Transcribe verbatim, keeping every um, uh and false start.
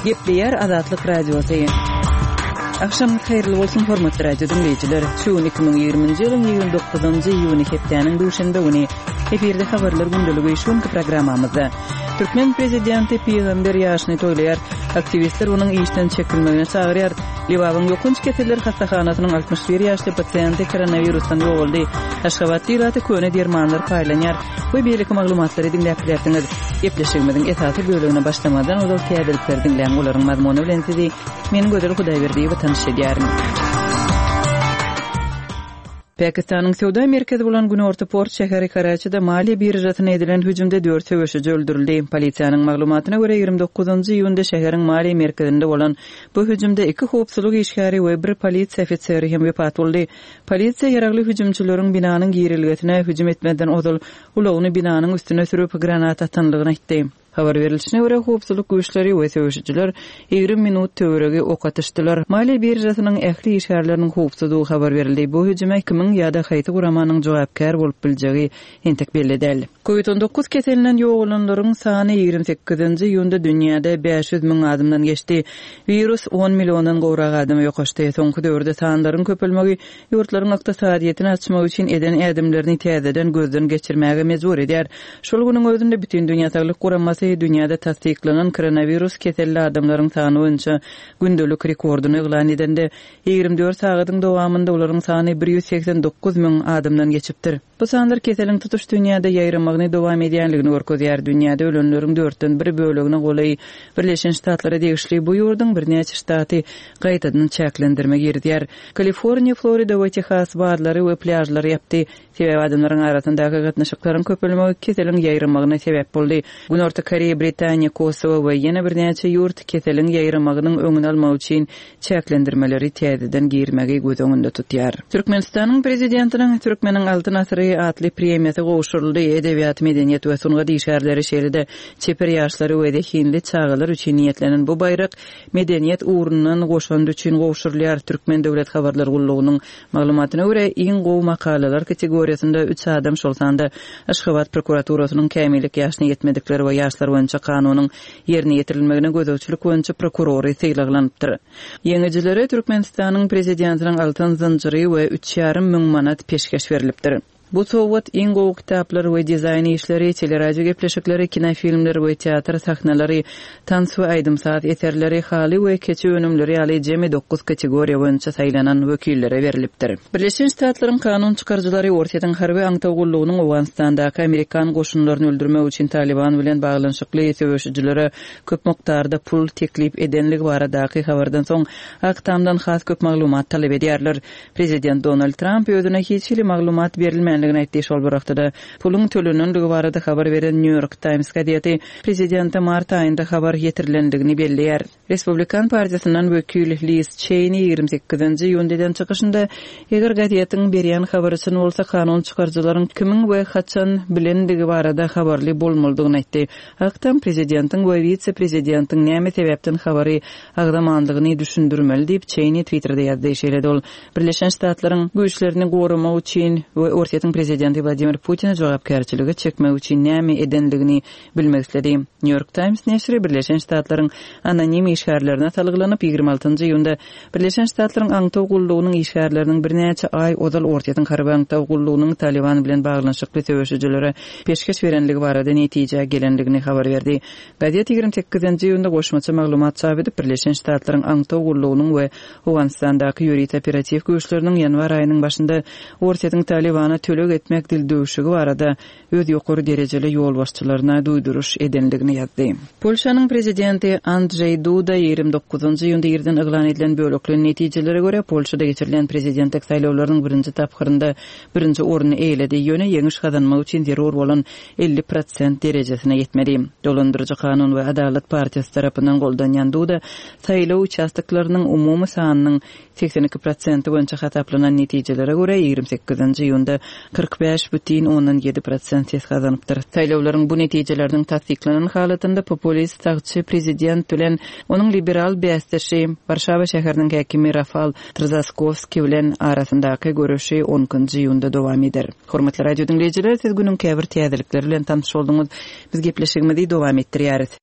Gepleýär Azatlyk Radiosy. Agşamyňyz haýyrly bolsun, hormatly radio diňleýjiler. Şu gün iki müň ýigriminji ýylyň ýigrimi dokuzynjy iýuny hepdäniň duşenbe güni. Efirde habarlar gündeligi şu günki programmamyzda. Türkmen prezidenti pygamber ýaşyny toýlaýar. Aktiwistler onuň işden çekilmegine çagyrýar. Lebabyň ýokanç keseller hassahanasynyň altmyş bir ýaşly pasiýenti koronawirusdan ýogaldy. Aşgabatda ilata köne dermanlar paýlanýar we beýleki maglumatlary diňläp bilersiňiz. Gepleşigimiziň esasy bölegine başlamazdan ozal täzelikleri diňläň, olaryň mazmuny bilen sizi men Gözel Hudaýberdiýewa tanyş edýärin. Pakistanyň söwda merkezi bolan günorta port şäheri Karaçide maliýe biržasyna edilen hüjümde dört söweşiji öldürildi. Polisiýanyň maglumatyna görä, ýigrimi dokuzynjy iýunda şäheriň maliýe merkezinde bolan bu hüjümde iki howpsuzlyk işgäri we bir polisiýa ofiseri hem wepat boldy. Polisiýa ýaragly hüjümçileriň binanyň girelgesine hüjüm etmezden ozal ulagyny binanyň üstüne sürüp, granat atanlygyny aýtdy. Habar berilişine görä, howpsuzlyk güýçleri we söweşijiler ýigrimi minut töweregi ok atyşdylar. Maliýe biržasynyň ähli işgärleriniň howpsuzdygy habar berildi. Bu hüjüme kimiň ýa-da haýsy guramanyň jogapkär bolup biljegi entek belli däl. Covid on dokuz keselinden ýogalanlaryň sany ýigrimi sekizinji iýunda dünýäde bäş ýüz müň adamdan geçdi. Wirus on milliondan gowrak adama ýokaşdy. Soňky döwürde sanlaryň köpelmegi ýurtlaryň ykdysadyýetini açmak üçin eden ädimlerini täzeden gözden geçirmäge mejbur edýär. Şol günüň özünde Bütindünýä Saglyk Guramasy dünýäde tassyklanan koronawirus keselli adamlaryň sany boýunça gündelik rekordyny yglan edende, ýigrimi dört sagadyň dowamynda olaryň sany bir ýüz segsen dokuz müň adamdan geçipdir. Bu sanlar keseliň tutuş dünýäde ýaýramagyny dowam edýänligini görkezýär. Dünýäde ölenleriň dörtden bir bölegine golaý Birleşen Ştatlara degişli bu ýurduň birnäçe ştaty gaýtadan çäklendirme girizýär. Kaliforniýa, Florida we Tehas barlary we plýažlary ýapdy. Sebäbi adamlaryň arasyndaky gatnaşyklaryň köpelmegi keseliň ýaýramagyna sebäp boldy. Günorta Koreýa, Britaniýa, Kosowo we ýene birnäçe ýurt keseliň ýaýramagynyň öňüni almak üçin çäklendirmeleri täzeden girmegi göz öňünde tutýar. Türkmenistanyň Prezidentiniň Türkmeniň Altyn asyry atly premiýasy gowşuryldy. Edebiýat, medeniýet we sungat işgärleri, şeýle-de çeper ýaşlary we zehinli çagalar üçin niýetlenen bu baýrak medeniýet ugrundan goşandy üçin gowşurylýar. Türkmen döwlet habarlar gullugynyň maglumatyna görä, iň gowy makalalar kategoriýasynda üç adam, şol sanda Aşgabat prokuraturasynyň kämillik ýaşyna ýetmedikler we ýaşlar boýunça kanunyň ýerine ýetirilmegine gözegçilik boýunça prokurory sylaglanypdyr. Ýeňijilere Türkmenistanyň Prezidentiniň altyn zynjyry we üç ýarym müň manat peşgeş berlipdir. Bu sowgat iň gowy kitaplar we dizaýn işleri, teleradio gepleşikleri, kinofilmler we teatr sahnalary, tans we aýdym-saz eserleri, haly we keçe önümleri ýaly jemi dokuz kategoriýa boýunça saýlanan wekillere berlipdir. Birleşen Ştatlaryň kanun çykaryjylary Orsýetiň harby aňtaw gullugynyň Owganystandaky amerikan goşunlaryny öldürmek üçin Taliban bilen baglanyşykly söweşijilere köp mukdarda pul teklip edenligi baradaky habardan soň Ak Tamdan has köp maglumat talap edýärler. Prezident Donald Tramp özüne hiç hili maglumat berilmänligini aýtdy. Şol bir wagtda-da puluň tölenenligi barada habar beren New York Times gazeti prezidente mart aýynda habar ýetirilendigini belleýär. Respublikan partiýasyndan wekil Liz Çeýni ýigrimi sekizinji iýunda eden çykyşynda, eger gazetiň berýän habary çyn bolsa, kanun çykaryjylaryň kimiň we haçan bilendigi barada habarly bolmalydygyny aýtdy. Ak Tam prezidentiň we wise-prezidentiň näme sebäpden habary agzamandygyny düşündirmeli diýip, Çeýni Twitterde ýazdy. Şeýle-de ol Birleşen Ştatlaryň güýçlerini goramak üçin we Orsýetiň prezidenti Wladimir Putini jogapkärçilige çekmek üçin näme edendigini bilmek isledi. New York Times neşiri Birleşen Ştatlaryň anonim işgärlerine salgylanyp, ýigrimi altynjy iýunda Birleşen Ştatlaryň aňtaw gullugynyň işgärleriniň birnäçe aý ozal Orsýetiň harby aňtaw gullugynyň Taliban bilen baglanyşykly söweşijilere peşgeş berenligi barada netijä gelendigini habar berdi. Gazet ýigrimi sekizinji iýunda goşmaça maglumat çap edip, Birleşen Ştatlaryň aňtaw gullugynyň we Owganystandaky ýörite operatiw güýçleriniň ýanwar aýynyň başynda Orsýetiň Talibana töleg etmek dildüwşügi barada öz ýokary derejeli ýolbaşçylaryna duýduryş edendigini ýazdy. Polşanyň prezidenti Andrzej Duda ýigrimi dokuzynjy iýunda irden yglan edilen bölekleýin netijelere görä, Polşada geçirilen prezidentlik saýlawlarynyň birinji tapgyrynda birinji orny eýeledi, ýöne ýeňiş gazanmak üçin zerur bolan elli prosent derejesine ýetmedi. Dolandyryjy Kanun we Adalat partiýasy tarapyndan goldanýan Duda saýlaw uçastoklarynyň umumy sanynyň segsen iki prosenti boýunça hasaplanan netijelere görä, ýigrimi sekizinji iýunda kyrk bäş bütin ondan ýedi prosent ses gazanypdyr. Saýlawlaryň bu netijeleriniň tassyklanan halatynda populist sagçy prezident bilen onuň liberal bäsdeşi Warşawa şäheriniň häkimi Rafal Trzaskowski bilen arasyndaky göreşi on ikinji iýunda dowam eder. Hormatly radio diňleýjiler, siz günüň käbir täzelikleri bilen tanyş bolduňyz. Biz gepleşigimizi dowam etdirýäris.